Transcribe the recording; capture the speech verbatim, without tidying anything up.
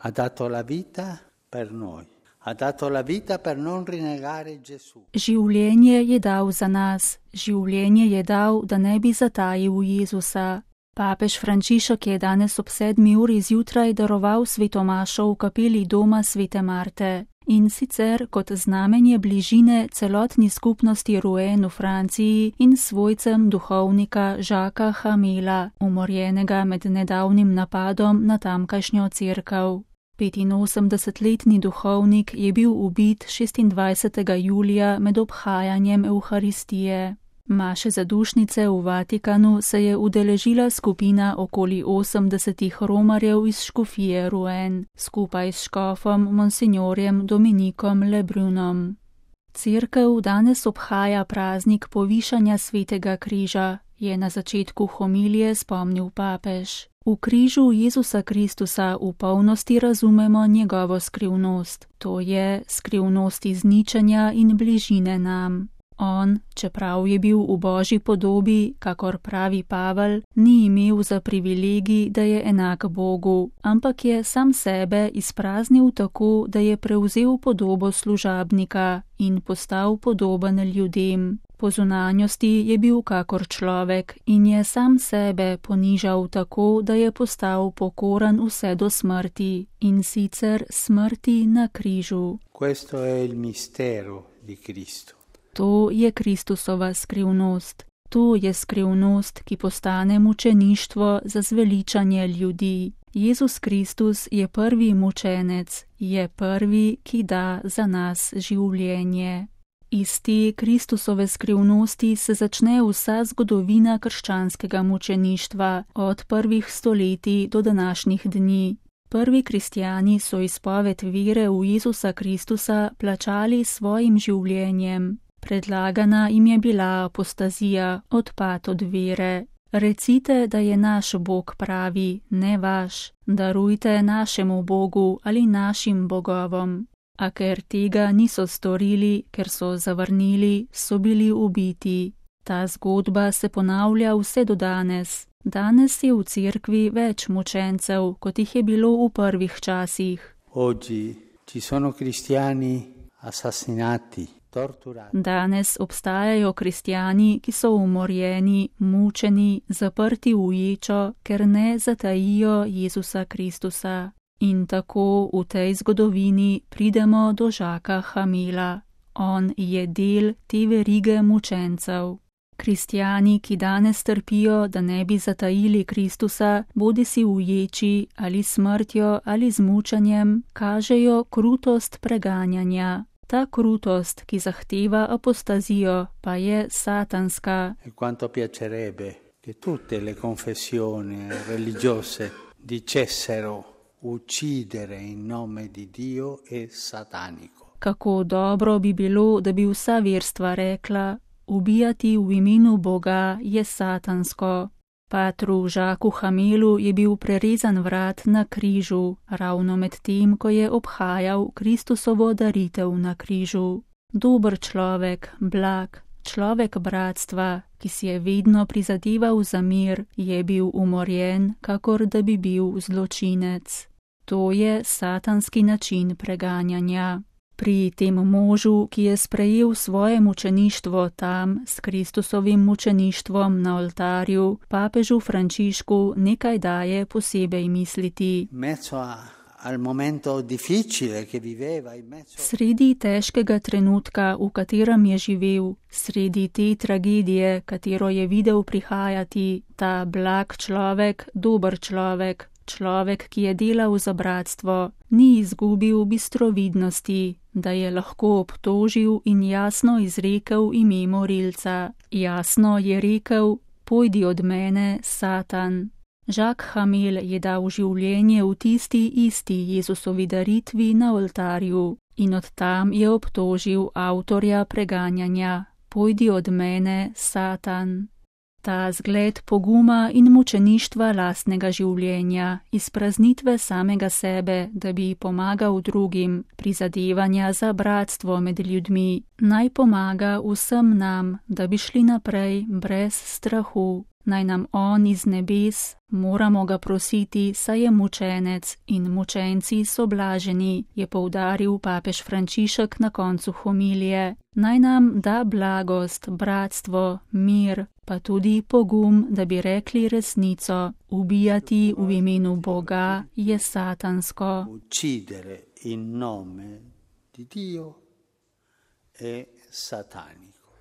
Ha dato la vita per noi. Ha dato la vita per non rinnegare Gesù. Življenje je dal za nas, življenje je dal, da ne bi zatajil Jezusa. Papež Frančišek je danes ob sedmi uri zjutraj daroval sveto mašo v kapeli doma svete Marte. In sicer kot znamenje bližine celotni skupnosti Rouen v Franciji in svojcem duhovnika Jacquesa Hamela, umorjenega med nedavnim napadom na tamkajšnjo cerkev. petinosemdesetletni duhovnik je bil ubit šestindvajsetega julija med obhajanjem Evharistije. Maše zadušnice v Vatikanu se je udeležila skupina okoli osemdesetih romarjev iz škofije Rouen, skupaj s škofom monsignorjem Dominikom Lebrunom. Cerkev danes obhaja praznik povišanja svetega križa, je na začetku homilije spomnil papež. V križu Jezusa Kristusa v polnosti razumemo njegovo skrivnost, to je skrivnost izničenja in bližine nam. On, čeprav je bil v Božji podobi, kakor pravi Pavel, ni imel za privilegij, da je enak Bogu, ampak je sam sebe izpraznil tako, da je prevzel podobo služabnika in postal podoben ljudem. Po zunanjosti je bil kakor človek in je sam sebe ponižal tako, da je postal pokoran vse do smrti, in sicer smrti na križu. Questo è il mistero di Cristo. To je Kristusova skrivnost. To je skrivnost, ki postane mučeništvo za zveličanje ljudi. Jezus Kristus je prvi mučenec, je prvi, ki da za nas življenje. Iz te Kristusove skrivnosti se začne vsa zgodovina krščanskega mučeništva od prvih stoletij do današnjih dni. Prvi kristjani so izpoved vere v Jezusa Kristusa plačali svojim življenjem. Predlagana jim je bila apostazija, odpad od vere. Recite, da je naš Bog pravi, ne vaš, darujte našemu Bogu ali našim bogovom. A ker tega niso storili, ker so zavrnili, so bili ubiti. Ta zgodba se ponavlja vse do danes. Danes je v cerkvi več mučencev, kot jih je bilo v prvih časih. Oggi ci sono cristiani assassinati. Danes obstajajo kristjani, ki so umorjeni, mučeni, zaprti v ječo, ker ne zatajijo Jezusa Kristusa. In tako v tej zgodovini pridemo do Jacquesa Hamela. On je del te verige mučencev. Kristjani, ki danes trpijo, da ne bi zatajili Kristusa, bodisi v ječi ali smrtjo ali z mučenjem, kažejo krutost preganjanja. Ta krutost, ki zahteva apostazijo, pa je satanska. E quanto piacerebbe che tutte le confessioni religiose dicessero uccidere in nome di Dio è satanico. Kako dobro bi bilo, da bi vsa verstva rekla, ubijati v imenu Boga je satansko. Patru Jacquesu Hamelu je bil prerezan vrat na križu, ravno med tem, ko je obhajal Kristusovo daritev na križu. Dober človek, blag, človek bratstva, ki si je vedno prizadeval za mir, je bil umorjen, kakor da bi bil zločinec. To je satanski način preganjanja. Pri tem možu, ki je sprejel svoje mučeništvo tam s Kristusovim mučeništvom na oltarju, papežu Frančišku nekaj daje posebej misliti. Sredi težkega trenutka, v katerem je živel, sredi te tragedije, katero je videl prihajati, ta blag človek, dober človek, človek, ki je delal za bratstvo, ni izgubil bistrovidnosti, da je lahko obtožil in jasno izrekel ime morilca. Jasno je rekel, pojdi od mene, Satan. Jacques Hamel je dal življenje v tisti isti Jezusovi daritvi na oltarju in od tam je obtožil avtorja preganjanja, pojdi od mene, Satan. Ta zgled poguma in mučeništva lastnega življenja, izpraznitve samega sebe, da bi pomagal drugim, prizadevanja za bratstvo med ljudmi, naj pomaga vsem nam, da bi šli naprej brez strahu. Naj nam on iz nebes, moramo ga prositi, saj je mučenec in mučenci so blaženi, je poudaril papež Frančišek na koncu homilije. Naj nam da blagost, bratstvo, mir, pa tudi pogum, da bi rekli resnico. Ubijati v imenu Boga je satansko. Uccidere in nome di Dio è satanico.